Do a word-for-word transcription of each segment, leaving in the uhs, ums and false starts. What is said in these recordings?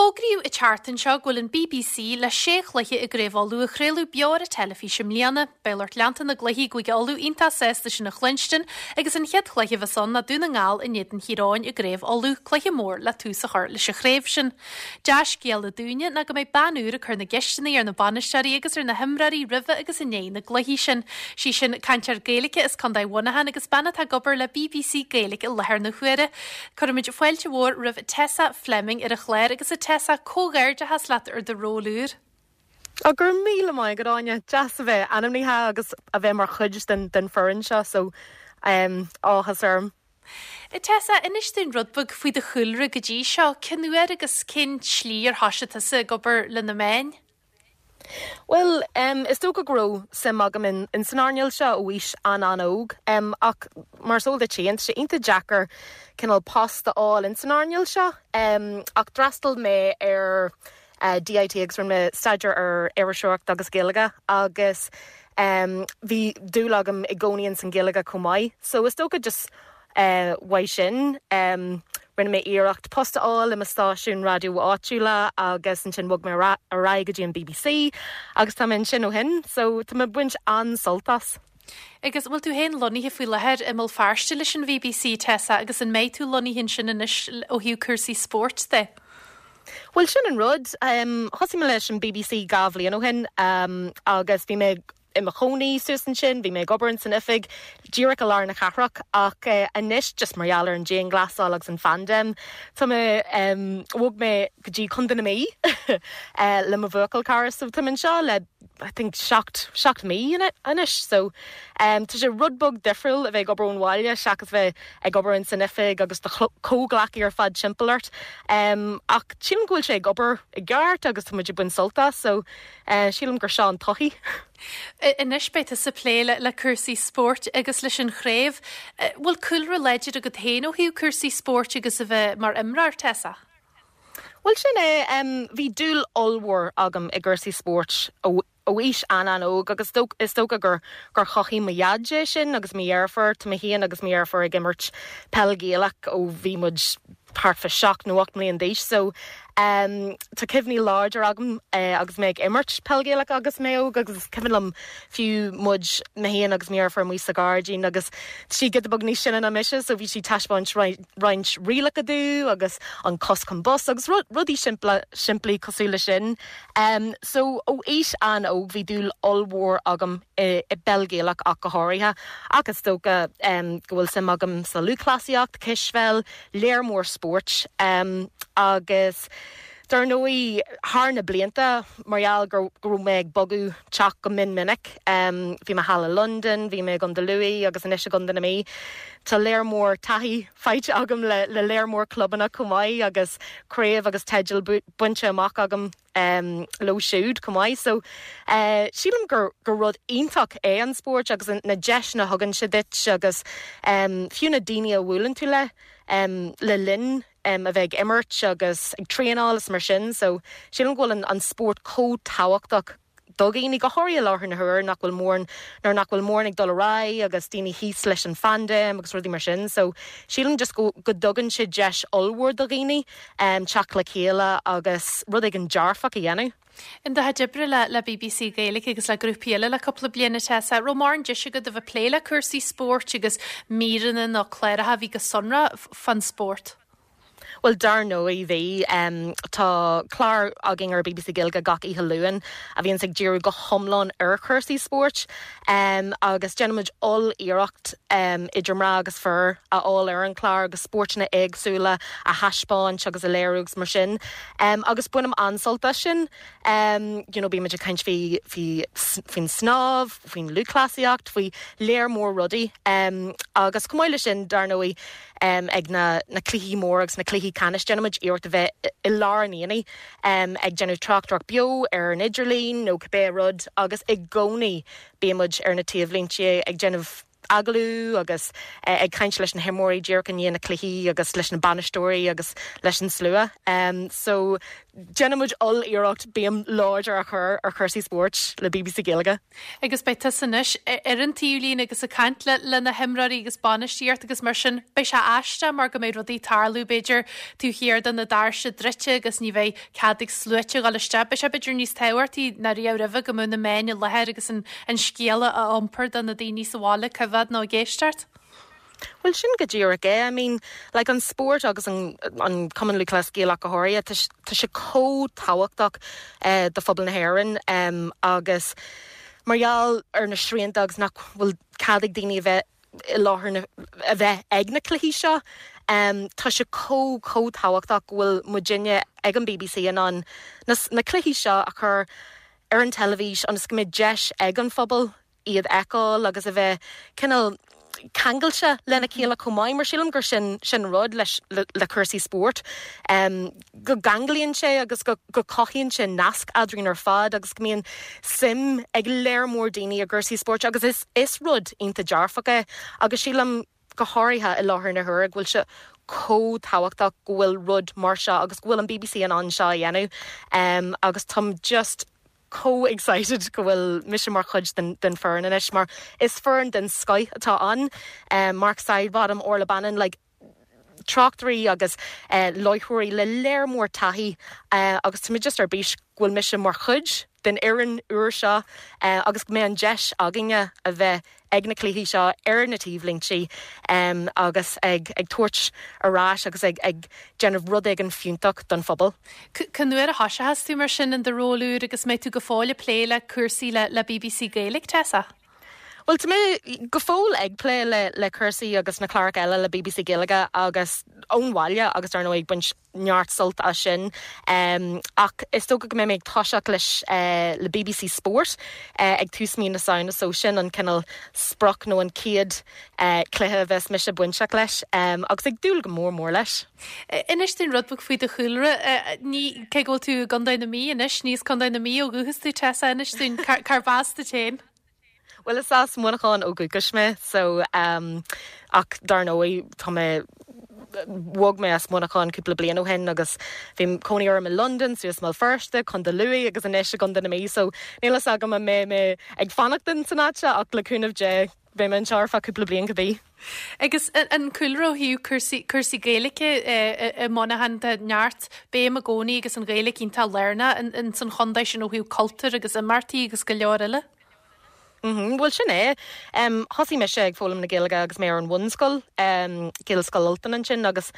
Fógraíodh an tseachtain seo go bhfuil an BBC le sé chluiche i gCraobh Uladh a chraoladh beo ar an teilifís i mbliana. Beidh lucht leanta na gcluichí i gCúige Uladh iontach sásta sin a chluinstin agus an chéad chluiche a bheas ann ná Dún na nGall in éadan Thír Eoghain i gCraobh Uladh, cluiche mór le tús a chur leis an chraobh sin. Dea-scéala dúinne ná go mbeidh bean úr ag cur na gceisteanna ar na bainisteoirí agus ar na himreoirí roimhe agus i ndiaidh na gcluichí sin. Sí sin cainteoir Gaeilge as Contae Mhuineacháin agus bean atá ag obair le BBC Gaeilge i láthair na huaire. Cuirimid fáilte mhór roimh Tessa Fleming ar an chlár agus a Tessa comhghairdeachas leat ar do ról úr. Á go raibh míle maith agat Áine deas a bheith ainmnithe agus a bheith mar chuid den den foireann seo so um, áthas orm. Tessa inis dúinn rud beag faoi do chúlra go dtí seo cén uair agus cén tslí ar thosaigh tusa ag obair le na meáin? Well, um, is dócha go raibh suim agam in, in san earnáil seo ó aois an-an-óg um, ach mar is eol duit tá sé iontach deacair cineál post a fháil in san earnáil seo um, ach d'fhreastail mé ar uh, DIT agus rinne mé staidéar ar iriseoireacht agus Gaeilge agus um, bhí dúil agam i gcónaí san Ghaeilge chomh maith. So is dócha just uh, uaidh sin um, rinne mé iarracht post a fháil i mo stáisiún raidió áitiúla agus ansin bhog mé ar aghaidh go dtí an BBC agus tá mé ansin ó shin, so tá mé ag baint an-sult as. Agus bhfuil tú féin lonnaithe faoi láthair i mBéal Feirste leis an BBC Tessa agus an mbeidh tú lonnaithe ansin anois ó thaobh cúrsaí spóirt de. Well sin an rud um, thosaigh mé leis an BBC dhá bhliain ó shin um, agus bhí mé i mo chónaí suas ansin, bhí mé ag obair san oifig díreach i lár na cathrach ach uh, anois just mar gheall ar an dianghlasáil agus an phaindéim. Tá mé um, bhog mé go dtí Contae na Mí uh, le mo bhuachaill cara so tá seo le I think seacht seacht mí anois so um, tá sé rud beag difriúil a bheith ag obair ón bhaile seachas bheith ag obair san oifig agus do chomhghleacaí ar fad timpeall ort. Um, ach sílim go bhfuil sé ag obair i gceart agus tá muid ag baint sult as so uh, sílim gur seo an todhchaí. Anois beidh tú ag plé le, le cúrsaí spóirt agus leis an chraobh, bhfuil cúlra láidir agat féin ó thaobh cúrsaí spóirt agus a bheith mar imreoir Tessa? Well sin é um, bhí dúil ollmhór agam i gcúrsaí spóirt ó ó aois an-an-óg agus is dócha gur gur chothaigh mo dhaid é sin agus mo dheirfiúr tá mé féin agus mo dheirfiúr ag imirt peil Ghaelach ó bhí muid thart fá seacht nó ocht mbliana d'aois so um, tá cuimhní láidir agam uh, agus mé ag imirt peil Ghaelach agus mé óg agus cuimhin liom fiú muid mé féin agus mo dheirfiúr amuigh sa ghairdín agus sí giota beag níos sine ná mise so bhí sí ag taispeáint roinnt rialacha dom agus an cos chun bos agus rudaí simple simplí cosúil le sin. Um, so ó aois an-óg bhí dúil ollmhór agam i, i bpeil Ghaelach ach go háirithe ach is dócha um, go bhfuil suim agam sa lúthchleasaíocht, cispheil, léar mór spóirt um, agus dar ndóigh thar na blianta mar gheall gur go raibh mé ag bogadh teach go mion minic. Um, bhí mé thall i London, bhí mé i gContae Lú agus anois i gContae na Mí. Tá léar mór taithí faighte agam le, le léar mór clubanna chomh maith agus craobh agus teidil bainte amach agam um, leo siúd chomh maith. So uh, sílim gur gur rud iontach é an spórt agus na deiseanna a thugann sé duit agus um, fiú na daoine a bhuaileann tú le um, le linn um, a bheith ag imirt agus ag traenáil is mar sin, so sílim go bhfuil an, an spórt chomh tábhachtach do dhaoine go háirithe i láthair na huaire nach bhfuil mórán nuair nach bhfuil mórán ag dul ar aghaidh agus daoine thíos leis an phaindéim agus rudaí mar sin, so sílim just go, go dtugann sé deis ollmhór do dhaoine um, teacht le chéile agus rud éigin dearfach a dhéanamh. In do chuid oibre le le BBC Gaeilge agus le grúpaí eile le cúpla bliain Tessa, raibh mórán deis agat a bheith ag plé le cúrsaí spóirt agus míreanna nó cláracha a bhí go sonrach fán spórt. Well dar ndóigh bhí um, tá clár againn ar BBC Gaeilge gach oíche Luain a bhíonn ag díriú go hiomlán ar chúrsaí spóirt um, agus déanaimid oll-iarracht um, idir mná agus fir a fháil ar an chlár agus spórtanna éagsúla a thaispeáint agus a léiriú agus mar sin. Um, agus bainim an-sult as sin um, you know, bímid ag caint faoi faoi faoin snámh, faoin lúthchleasaíocht, faoi léar mór rudaí um, agus chomh maith le sin dar ndóigh um, ag na, na cluichí mór agus na cluichí ceannais déanaimid iarracht a bheith i lár an aonaigh um, ag déanamh tráchtaireacht beo ar an idirlíon nó cibé rud agus i gcónaí bímid ar na taobhlínte ag déanamh agallamh agus ag caint leis na himreoirí díreach i ndiaidh na cluichí agus leis na bainisteoirí agus leis an slua. Um, so déanaimid oll-iarracht béim láidir a chur ar chúrsaí spóirt le B B C Gaeilge. Agus beidh tusa anois ar an taobhlíne agus ag caint le le na himreoirí agus bainistíocht agus mar sin. Beidh sé aisteach mar go mbeidh rudaí ag tarlú b'fhéidir taobh thiar de na doirse druidte agus ní bheidh cead ag sluaite dhul isteach. Beidh sé b'fhéidir níos tábhachtaí ná riamh roimhe go mbeadh na meáin i láthair agus an an scéala a iompar do na daoine sa bhaile ag coimhéad nó ag éisteacht. Well, sin go díreach é. I mean, like, an spórt agus an, an Cumann Lúthchleas Gaelach go háirithe, tá sé chomh tábhachtach eh, do phobal na hÉireann um, agus mar gheall ar na srianta agus nach bhfuil cead ag daoine a bheith i láthair na, a bheith ag na cluichí seo. Um, tá sé chomh chomh tábhachtach go bhfuil muidinne ag an B B C in ann na, na cluichí seo a chur ar an teilifís agus go mbeidh deis ag an phobal iad a fheiceáil agus a bheith cineál ceangailte lena chéile chomh maith, mar sílim gur sin sin rud leis le, le cúrsaí spóirt. Um, go gceanglaíonn sé agus go, go cothaíonn sé nasc eadrainn ar fad agus go mbíonn suim ag léar mór daoine i gcúrsaí spóirt agus is, is rud iontach dearfach é agus sílim go háirithe i láthair na huaire go bhfuil sé chomh tábhachtach go bhfuil rud mar seo agus go bhfuil an B B C in ann seo a dhéanamh um, agus táim just chomh excited go bhfuil mise mar chuid den, den foireann anois, mar is foireann den scoth atá ann um, Mark Sidebottom, Orla Bannon, like, tráchtairí agus uh, láithreoirí le léar mór taithí uh, agus tá mé just ar bís go bhfuil mise mar chuid den fhoireann úr seo uh, agus go mbeidh an deis againne a bheith ag na cluichí seo ar na taobhlínte um, agus ag, ag tabhairt ar ais agus ag, ag déanamh rud éigin fiúntach don phobal. Cén uair a thosaíos tú mar sin in do ról úr agus mbeidh tú go fóill ag plé le cúrsaí le, le B B C Gaeilge, Tessa? Well, tá mé go fóill ag plé le le cúrsaí agus na cláracha eile le B B C Gaeilge agus ón bhaile agus ar ndóigh ag baint neart sult as sin um, ach is dócha go mbeidh mé ag toiseacht leis uh, le B B C Sport uh, ag tús mí na Samhna, so sin an cineál sprioc nó an chéad uh, cluiche a bheas mise bainteach leis um, agus ag dúil go mór mór leis. Inis dúinn rud beag faoi do chúlra, ní cé go bhfuil tú i gContae na Mí anois, ní as Contae na Mí ó dhúchas tú, Tessa. Inis dúinn cárb as duit féin. Well, is as Muineachán ó dhúchas mé, so um, ach dar ndóigh tá mé bhog mé as Muineachán cúpla bliain ó shin agus bhí cónaí orm i London, suas i mBéal Feirste, Contae Lú agus anois i gContae na Mí, so níl a fhios agam an mbeidh mé ag fanacht san áit ach le cúnamh Dé beidh mé anseo ar feadh cúpla bliain cibé. Agus an cúlra ó thaobh cúrsaí Gaeilge i Muineachán, tá neart béim i gcónaí agus an Ghaeilge iontach lárnach in san chontae sin ó thaobh cultúr agus imeachtaí agus go leor eile. Mm -hmm, Bhuel, sin é. Um, Thosaigh mise ag foghlaim na Gaeilge agus mé ar an bhunscoil, um, Gaelscoil Ultain ansin, agus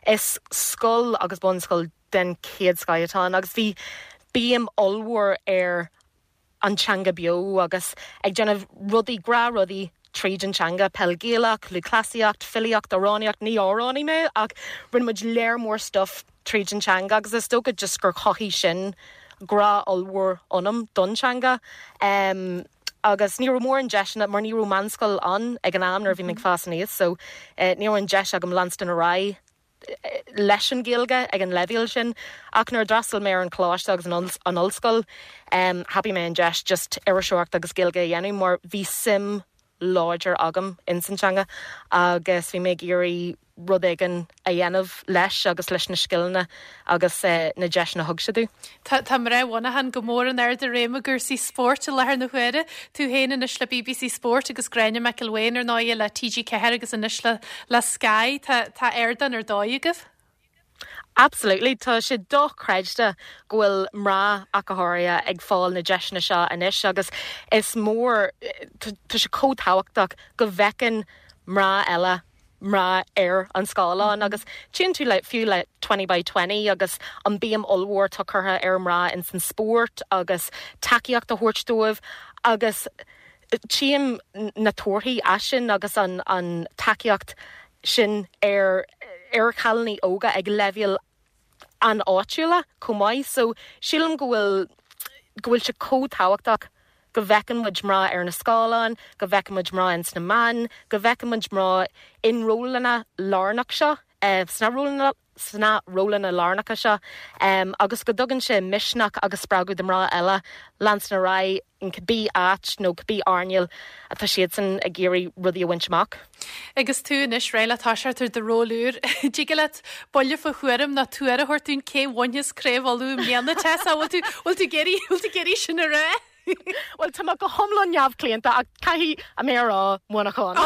is scoil agus bunscoil den chéad scoth atá ann agus bhí béim ollmhór ar an teanga beo agus ag déanamh rudaí gra rudaí tríd an teanga, peil Ghaelach, lúthchleasaíocht, filíocht, amhránaíocht. Ní amhránaí mé ach rinne muid léar mór stuff tríd an teanga agus is dócha just gur chothaigh sin grá ollmhór ionam don teanga. Um, agus ní mór an deiseanna mar ní raibh meánscoil ann ag an am nuair a bhí mé ag fás aníos, so eh, ní an deis agam leanstan ar aghaidh eh, leis an Ghaeilge ag an leibhéal sin, ach nuair a d'fhreastail mé ar an choláiste agus an ollscoil um, thapaigh mé an deis just iriseoireacht agus Gaeilge a dhéanamh mar bhí suim láidir agam in san teanga agus bhí mé ag iarraidh rud éigin a dhéanamh leis agus leis na scileanna agus uh, na deiseanna thug sé domh. Tá tá mná Mhuineacháin go mór in airde réime i gcúrsaí spóirt i láthair na huaire, tú féin anois le B B C Sport agus Gráinne McElwain ar ndóigh le T G Ceathair agus anois le le Sky. tá tá ardán ar dóigh agaibh? Absolutely, tá sé dochreidte go bhfuil mná ach go háirithe ag fáil na deiseanna seo anois agus is mór, tá sé chomh tábhachtach go bhfeiceann mná eile mná ar an scáileán agus tchíonn tú le fiú le twenty by twenty agus an béim ollmhór atá curtha ar mná in san spórt agus tacaíocht a thabhairt dóibh agus tchím na torthaí as sin agus an an tacaíocht sin ar ar chailíní óga ag leibhéal an áitiúla chomh maith, so sílim go bhfuil go bhfuil sé chomh tábhachtach go bhfeiceann muid mná ar na scáileáin, go bhfeiceann muid mná in sna meáin, go bhfeiceann muid mná in rólanna lárnach seo. sna rólanna sna rólanna lárnacha seo um, agus go dtugann sé misneach agus spreagadh do mná eile leanstan ar aghaidh in cibé áit nó cibé earnáil atá siadsan ag iarraidh rudaí a bhaint amach. Agus tú anois réidh le toiseacht ar do ról úr. Dtig leat buille fá thuairim nó tuar a thabhairt dúinn cé bhainfeas Craobh Uladh i mbliana Tessa bhfuil tú bhfuil tú ag iarraidh bhfuil tú ag iarraidh sin a rá? Well tá go hiomlán neamhchlaonta ach caithfidh mé a rá Muineachán.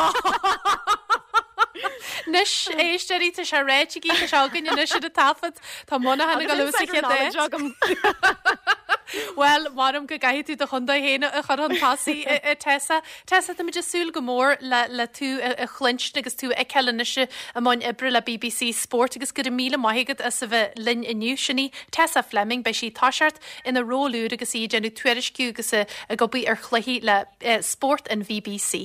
Anois éisteoirí tá sé ráite tá sé againn anois ar an taifead Tá Muineachán ag dul sa chéad agam. Well maram go gcaithfidh tú do chontae féin a chur chun tosaigh a Tessa. Tessa tá muid ag súil go mór le le tú a chluinstin agus tú ag anois i mbun oibre le BBC Sport agus go raibh míle maith agat as a bheith linn inniu sin í Tessa Fleming beidh sí ag toiseacht ina ról úr agus í ag déanamh tuairisciú agus ag obair ar chluichí le spórt an BBC.